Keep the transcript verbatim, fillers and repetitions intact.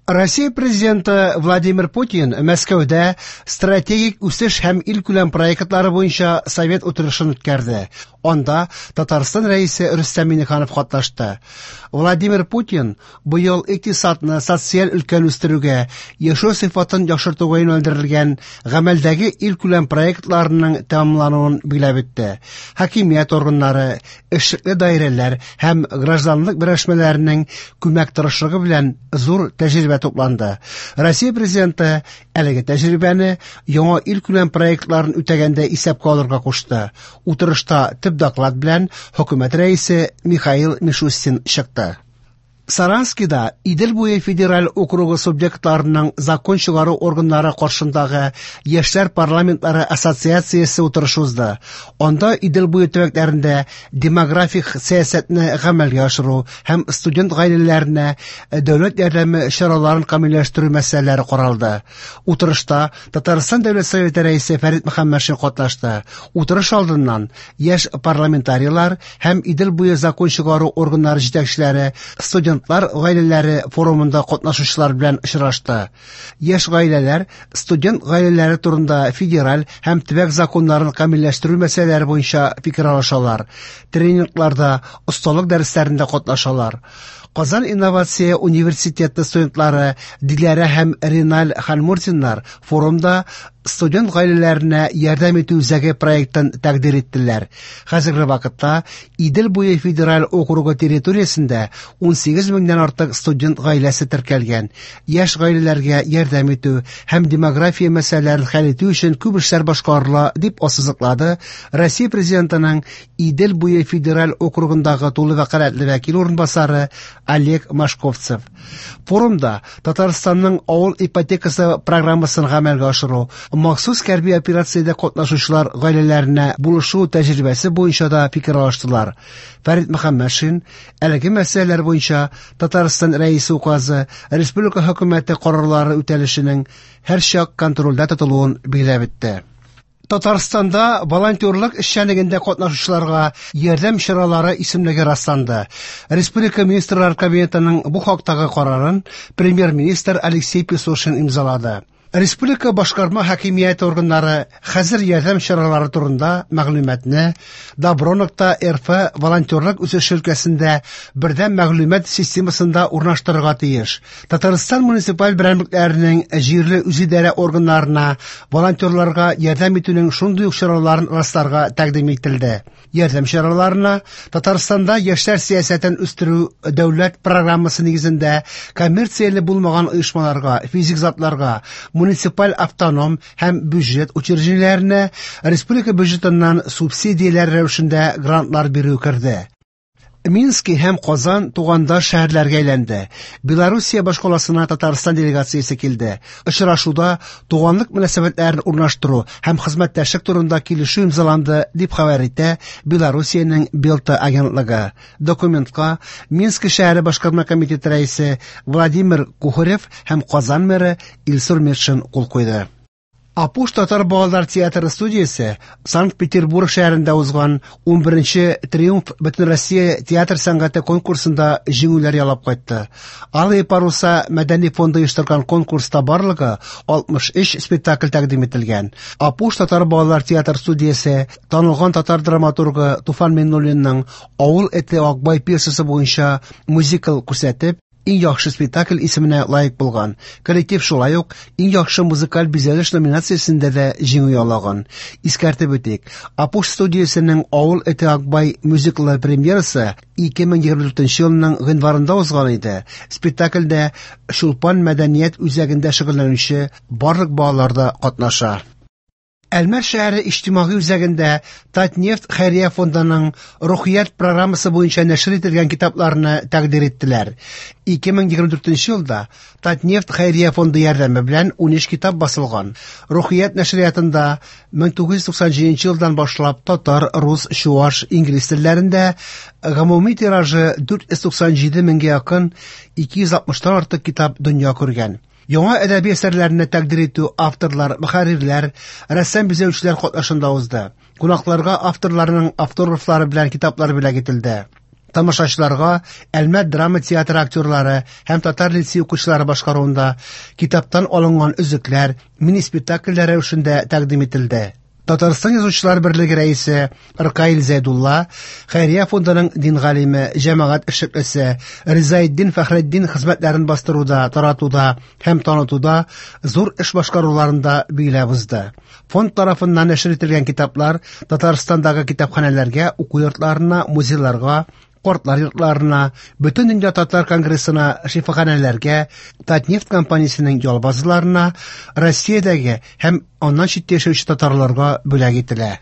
Россия президенты Владимир Путин Мәскәүдә стратегик үсеш һәм илкүләм проектлары буенча совет утырышын үткәрде. Анда Татарстан Рәисе Рөстәм Миңнеханов катнашты. Владимир Путин быел икътисадны, социаль өлкәне үстерүгә, яшәү сыйфатын яхшыртуга юнәлдерелгән гамәлдәге илкүләм проектларының тәмамлануын билгеләп үтте. Хакимият органнары, эшлекле даирәләр һәм гражданлык берләшмәләренең күмәк тырышлыгы белән зур тәҗрибә тупланды. Россия президенты әлеге тәҗрибәне яңа илкүләм проектларын үтәгәндә исәпкә алырга кушты. Утырышта төп доклад белән хөкүмәт рәисе Михаил Мишустин чыкты. Саранскида Идел буе федераль округы субъектларының закон чыгару органнары каршындагы Яшьләр парламентлары ассоциациясе утырышы узды. Анда Идел буе төбәкләрендә демографик сәясәтне гамәлгә ашыру һәм студент гаиләләренә дәүләт ярдәме чараларын камилләштерү мәсьәләләре каралды. Утырышта Татарстан Дәүләт Советы рәисе Фәрит Мөхәммәтшин катнашты. Утырыш алдыннан яшь парламентарийлар һәм Идел буе закон чыгару органнары җитәкчеләре студент гаиләләре форумында катнашучылар белән очрашты. Яшь гаиләләр студент гаиләләре турында федераль һәм төбәк законнарын камилләштерү мәсьәләләре буенча фикер алышалар. Тренингларда, осталык дәресләрендә катнашалар. Казан инновация университеты студентлары Диләрә һәм Риналь Ханмурзиннар форумда студент гаиләләренә ярдәм итү үзәге проектын тәкъдир иттеләр. Хәзерге вакытта Идел буе федераль округы территориясендә унсигез меңнән артык студент гаиләсе теркәлгән. Яшь гаиләләргә ярдәм итү һәм демография мәсьәләләрен хәл итү өчен күп эшләр башкарыла, дип ассызыклады Россия президентының Идел буе федераль округындагы тулы вәкаләтле вәкил урынбасары Олег Машковцев. Форумда Татарстанның авыл ипотекасы программасын гамәлгә ашыру, махсус хәрби операциядә катнашучылар гаиләләренә булышу тәҗрибәсе буенча да фикер алыштылар. Фәрит Мөхәммәтшин әлеге мәсьәләләр буенча Татарстан Рәисе указы, республика хөкүмәте карарлары үтәлешенең һәрчак контрольдә тотылуын билгеләп үтте. Татарстанда волонтерлык эшчәнлегендә катнашучыларга ярдәм чаралары исемлеге расланды. Республика Министрлар Кабинетының бу хактагы карарын премьер-министр Алексей Песошин имзалады. Республика башкарма хакимияте органнары хәзер ярдәм чаралары турында мәгълүматны добро нокта рф волонтерлык үсеше өлкәсендә бердәм мәгълүмат системасында урнаштырырга тиеш. Татарстан муниципаль берәмлекләренең җирле үзидарә органнарына волонтерларга ярдәм итүнең шундый ук чараларын расларга тәкъдим ителде. Ярдәм чараларына Татарстанда яшьләр сәясәтен үстерү дәүләт программасы нигезендә коммерцияле булмаган оешмаларга, физик затларга, муниципаль автоном һәм бюджет учреждениеләренә республика бюджетыннан субсидияләр рәвешендә грантлар бирү керде. Мински һәм Казан тугандаш шәһәрләргә әйләнде. Белоруссия башкаласына Татарстан делегациясе килде. Очрашуда туганлык мөнәсәбәтләрен урнаштыру һәм хезмәттәшлек турында килешү имзаланды, дип хәбәр итә Белоруссиянең Белта агентлыгы. Документка Минск шәһәре башкарма комитеты рәисе Владимир Кухарев һәм Казан мэры Илсур Метшин кул куйды. Апуш татар балалар театры студиясе Санкт-Петербург шәһәрендә узган унберенче Триумф Бөтенроссия театр сәнгате конкурсында җиңүләр яулап кайтты. Алые паруса мәдәни фонды оештырган конкурста барлыгы алтмыш өч спектакль тәкъдим ителгән. Апуш татар балалар театр студиясе танылган татар драматургы Туфан Миңнуллинның Авыл эте Акбай пьесасы буенча мюзикл күрсәтеп, иң яхшы спектакль исеменә лаек булган. Коллектив шулай ук иң яхшы музыкаль бизәлеш номинациясендә дә җиңү яулаган. Искәртеп үтик, Апуш студиясенең Авыл эте Акбай мюзиклы премьерасы ике мең егерме дүртенче елның гыйнварында узган иде. Спектакльдә Чулпан мәдәният үзәгендә шөгыльләнүче барлык балалар да катнаша. Әлмәт шәһәре иҗтимагый үзәгендә Татнефть хәйрия фондының Рухият программасы буенча нәшер ителгән китапларны тәкъдир иттеләр. Ике мең егерме дүртенче елда Татнефть хәйрия фонды ярдәме белән унөч китап басылган. Рухият нәшриятында мең тугыз йөз туксан җиденче елдан башлап татар, рус, чуаш, инглиз телләрендә гомуми тиражы дүрт йөз туксан җиде меңгә якын ике йөз алтмыштан артык китап дөнья күргән. Яңа әдәби әсәрләрне тәкъдир итү авторлар, мөхәррирләр, рәссам бизәүчеләр катнашында узды. Кунакларга авторларның автографлары белән китаплар бүләк ителде. Тамашачыларга Әлмәт драма театры актерлары һәм татар лицей укучылары башкаруында китаптан алынган өзекләр мини-спектакльләр рәвешендә тәкъдим ителде. Татарстан Язучылар берлеге рәисе Ркаил Зәйдулла Хәйрия фондының дин галиме, җәмәгать эшлеклесе Ризаэддин Фәхретдин хезмәтләрен бастыруда, таратуда һәм танытуда зур эш башкаруларын да билгеләп узды. Фонд тарафыннан нәшер ителгән китаплар Татарстандагы китапханәләргә, уку йортларына, музейларга, картлар йортларына, Бөтендөнья татар конгрессына, шифаханәләргә, Татнефть компаниясенең ял базаларына, Россиядәге һәм аннан читтә яшәүче татарларга бүләк ителә.